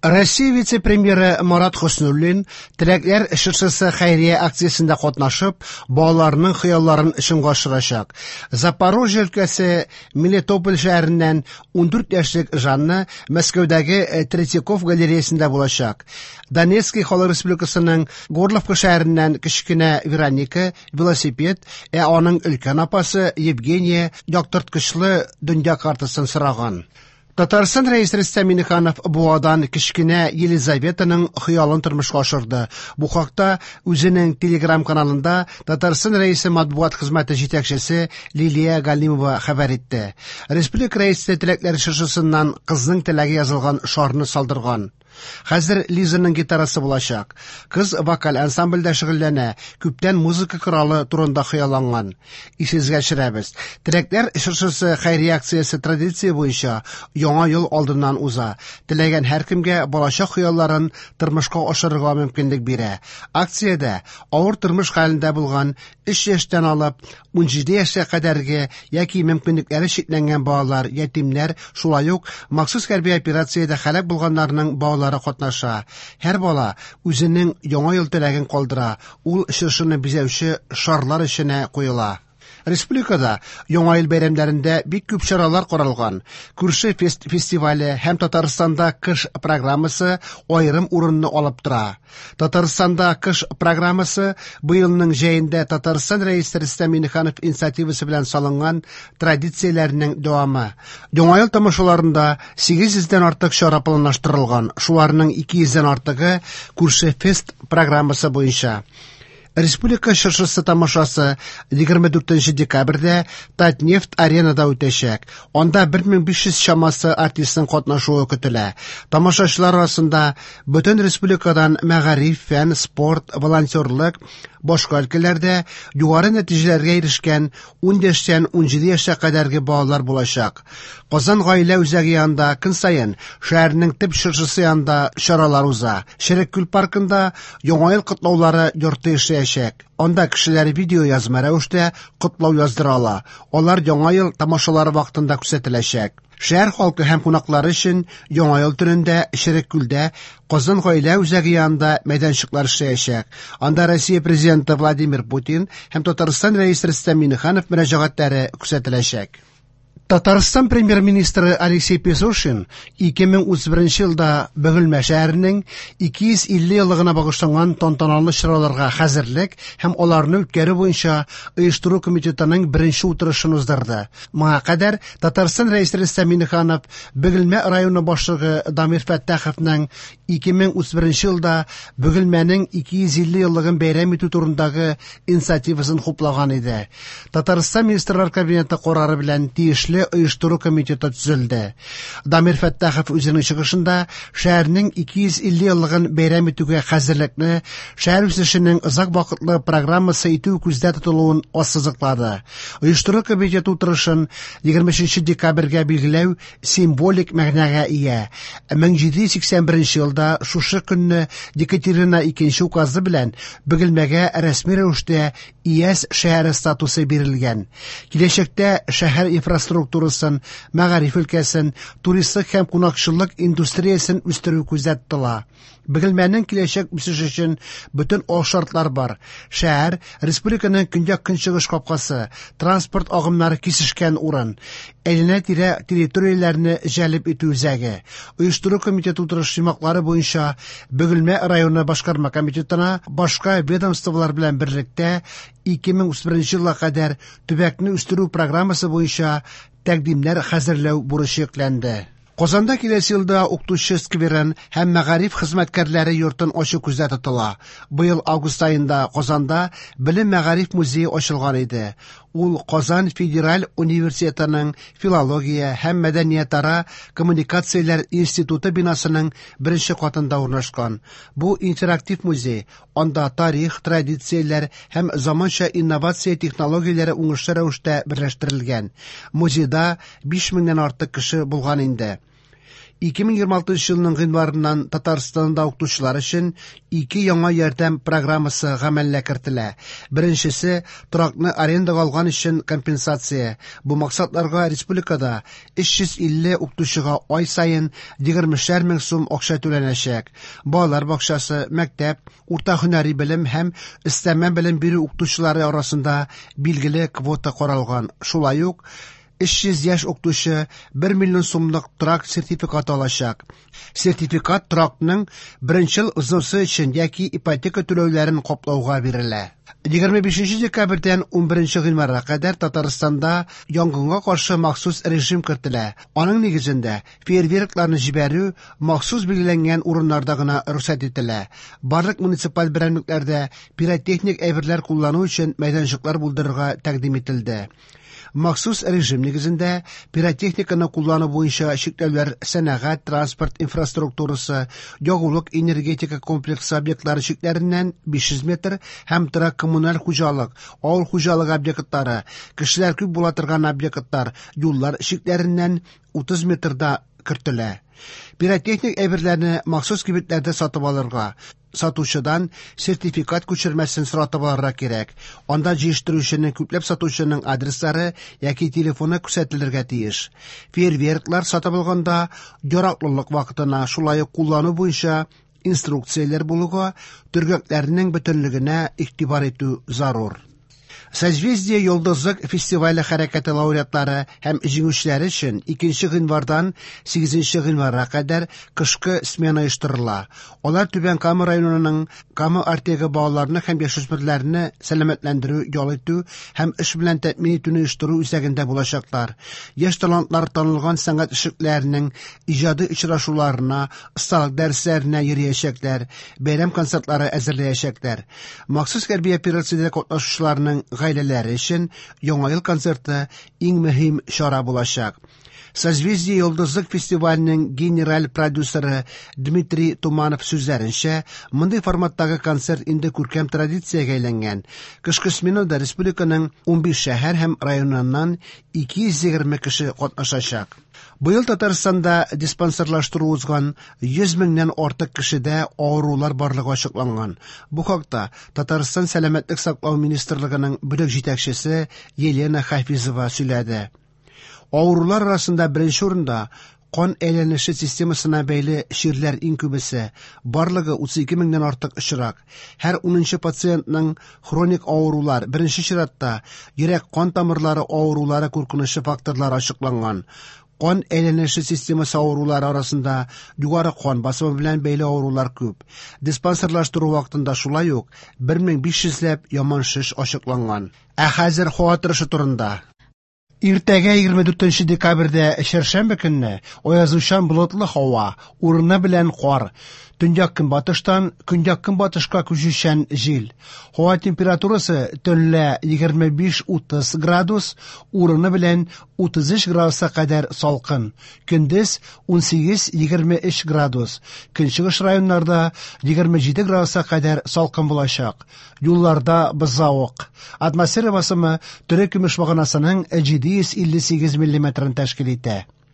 Россия вице-премьеры Марат Хөснуллин Теләкләр чыршысы хәйрия акциясендә катнашып, балаларның хыялларын чынга ашырачак. Запорожье өлкәсе Мелитополь шәһәреннән 14 яшьлек Жанна Мәскәүдәге Третьяков галереясендә булачак. Донецкий Халык Республикасының Горловка шәһәреннән кечкенә Вероника велосипед, ә аның өлкән апасы Евгения яктырткычлы дөнья картасын сораган. Татарстан Рәисе Рөстәм Миңнеханов Буадан кечкенә Елизаветаның хыялын тормышка ашырды. Бу хакта үзенең Телеграм-каналында Татарстан Рәисе матбугат хезмәте җитәкчесе Лилия Галимова хәбәр итте. Республика Рәисе теләкләр чыршысыннан кызның теләге язылган шарны салдырган. Хәзер Лизаның гитарасы булачак. Кыз вокаль ансамбльдә шөгыльләнә, күптән музыка коралы турында хыялланган. Исегезгә төшерәбез, Теләкләр чыршысы хәйрия акциясе традиция буенча Яңа ел алдыннан уза. Теләгән һәркемгә балачак хыялларын тормышка ашырырга мөмкинлек бирә. Акциядә авыр тормыш хәлендә булган 3 яшьтән алып 17 яшькә кадәрге яки мөмкинлекләре чикләнгән балалар, ятимнәр, шулай ук махсус хәрби операциядә һәлак булганнарның балалары катнаша. Һәр бала үзенең Яңа ел теләген калдыра, ул чыршыны бизәүче шарлар эченә куела. Республикада Яңа ел бәйрәмнәрендә бик күп чаралар каралган. Күрше фест фестивале һәм Татарстанда кыш программасы аерым урынны алып тора. Татарстанда кыш программасы быелның җәендә Татарстан Рәисе Рөстәм Миңнеханов инициативасы белән салынган традицияләрнең дәвамы. Яңа ел тамашаларында 800 дән артык чара планлаштырылган, шуларның 200 дән артыгы Күрше фест программасы буенча. Республика чыршысы тамашасы 24 декабрьдә Татнефть аренада үтәчәк. Анда 1500 чамасы артистның катнашуы көтелә. Тамашачылар арасында бөтен республикадан мәгариф, фән, спорт, волонтерлык, башка өлкәләрдә югары нәтиҗәләргә ирешкән 10 яшьтән 17 яшькә кадәрге балалар булачак. Казан гаилә үзәге янында көн саен шәһәрнең төп чыршысы янында чаралар уза. Черек күл паркында Яңа ел котлаулары йорты эшләячәк. Анда кешеләр видеоязма рәвештә котлау яздыра ала. Алар Яңа ел тамашалары вакытында күрсәтеләчәк. Шәһәр халкы һәм кунаклары өчен Яңа ел төнендә Черек күлдә Казан гаилә үзәге янында мәйданчыклар эшләячәк. Анда Россия Президенты Владимир Путин һәм Татарстан Рәисе Рөстәм Миңнеханов мөрәҗәгатьләре күрсәтеләчәк. Татарстан премьер-министры Алексей Песошин 2031 елда Бөгелмә шәһәренең 250 еллыгына багышланган тантаналы чараларга хәзерлек һәм аларны үткәрү буенча оештыру комитетының беренче утырышын уздырды. Моңа кадәр Татарстан Рәисе Рөстәм Миңнеханов Бөгелмә районы башлыгы Дамир Фәттаховның 2031 елда Бөгелмәнең 250 еллыгын бәйрәм итү турындагы инициативасын хуплаган иде. Татарстан Министрлар Кабинеты карары белән тиешле оештыру комитеты төзелде. Дамир Фәттахов үзенең чыгышында шәһәрнең 250 еллыгын бәйрәм итүгә хәзерлекне шәһәр үсешенең озак вакытлы программасы итү күздә тотылуын ассызыклады. Оештыру комитеты утырышын 23 декабрьгә билгеләү символик мәгънәгә ия. 1781 елда шушы көнне Екатерина II указы белән Бөгелмәгә рәсми рәвештә ИЯС шәһәре статусы бирелгән. Киләчәктә шәһәр инфраструктурасын, мәгариф өлкәсен, туристлык һәм кунакчыллык индустриясен үстерү күздә тотыла. Бөгелмәнең киләчәк үсеше өчен бөтен алшартлар бар. Шәһәр республиканың көньяк-көнчыгыш капкасы, транспорт агымнары кисешкән урын, әйләнә-тирә территорияләрне җәлеп итү үзәге. Оештыру комитеты утырыш йомгаклары буенча Бөгелмә районы башкарма комитетына башка ведомстволар белән берлектә 2031 елга кадәр төбәкне үстерү программасы буенча тәкъдимнәр хәзерләү бурычы йөкләнде. Казанда киләсе елда укытучы скверын һәм мәгариф хезмәткәрләре йортын ачу күздә тотыла. Быел август аенда Казанда Белем мәгариф музее ачылган иде. Ул Казан федераль университетының филология һәм мәдәниятара коммуникацияләр институты бинасының беренче катында урнашкан. Бу интерактив музей, анда тарих, традицияләр һәм заманча инновация технологияләре уңышлы рәвештә берләштерелгән. Музейда 5 меңнән артык кеше булган инде. 2026 елның гыйнварыннан Татарстанда укытучылар өчен ике яңа ярдәм программасы гамәлгә кертелә. Беренчесе торакны арендага алган өчен компенсация. Бу максатларга республикада 350 укытучыга ай саен 20 мең сум акча түләнәчәк. Балалар бакчасы, мәктәп, урта һөнәри белем һәм өстәмә белем бирү укытучылары арасында билгеле квота каралган. Шулай ук 300 яшь укытучы 1 миллион сумлык торак сертификаты алачак. Сертификат торакның беренчел взносы өчен яки ипотека түләүләрен каплауга бирелә. 25 декабрьдән 11 гыйнварга кадәр Татарстанда янгынга каршы махсус режим кертелә. Аның нигезендә фейерверкларны җибәрү махсус билгеләнгән урыннарда гына рөхсәт ителә. Барлык муниципаль берәмлекләрдә пиротехник әйберләр куллану өчен мәйданчыклар булдырырга тәкъдим ителде. Махсус режим нигезендә пиротехниканы куллану буенча чикләүләр сәнәгать, транспорт инфраструктурасы, ягулык энергетика комплексы объектлары чикләреннән 500 метр һәм торак коммуналь хуҗалык, авыл хуҗалыгы объектлары, кешеләр күп була торган объектлар, юллар чикләреннән 30 метрда кертелә. Пиротехник әйберләрне махсус кибетләрдә сатып алырга, сатучыдан сертификат күчермәсен соратып алырга кирәк. Анда җыештыручының, күпләп сатучының адреслары яки телефоны күрсәтелергә тиеш. Фейерверклар сатып алганда яраклылык вакытына, шулай ук куллану буенча инструкцияләр булуга, төргәкләрнең бөтенлегенә игътибар итү зарур. Созвездие Йолдызлык фестивале хәрәкәте лауреатлары һәм җиңүчеләре өчен 2 гыйнвардан 8 гыйнварга кадәр кышкы смена оештырыла. Алар Түбән Кама районының Кама Артегы балаларны һәм яшүсмерләрне сәламәтләндерү, ял итү һәм эш белән тәэмин итүне оештыру үзәгендә булачаклар. Яшь талантлар танылган сәнгать эшлекләренең иҗади очрашуларына, осталык дәресләренә йөриячәкләр, бәйрәм концертлары әзерләячәкләр. Махсус хәрби операциядә катнашучыларның гаиләләре өчен Яңа ел концерты иң мөһим чара булачак. Созвездие Йолдызлык фестиваленең генераль продюсеры Дмитрий Туманов сүзләренчә, мондый форматтагы концерт инде күркәм традициягә әйләнгән. Кышкы сменада республиканың 15 шәһәр һәм районыннан 220 кеше катнашачак. Быел Татарстанда диспансерлаштыру узган 100 меңнән артык кешедә авырулар барлыгы ачыкланган. Бу хакта Татарстан Сәламәтлек саклау министрлыгының бүлек җитәкчесе Елена Хафизова сөйләде. Авырулар арасында беренче урында кан әйләнеше системасына бәйле чирләр иң күбесе, барлыгы 32 меңнән артык очрак. Һәр 10 пациентның хроник авырулар, беренче чиратта йөрәк-кан тамырлары авырулары куркынычы факторлары ачыкланган. Кан әйләнеше системасы авырулары арасында югары кан басымы белән бәйле авырулар күп. Диспансерлаштыру вакытында шулай ук 1500 ләп яман шеш ачыкланган. Ә хәзер һава торышы турында. Иртәгә 24 декабрьдә чәршәмбе көнне аязучан болытлы һава, урыны белән кар, төньяк-көнбатыштан көньяк-көнбатышка күчүчән җил. Һава температурасы төнлә 25-30 градус, урыны белән 33 градуска кадәр салкын. Көндез 18-23 градус. Көнчыгыш районнарда 27 градуска кадәр салкын булачак. Юлларда бозавык. Атмосфера басымы тере көмеш баганасының 758 миллиметрын тәшкил итә.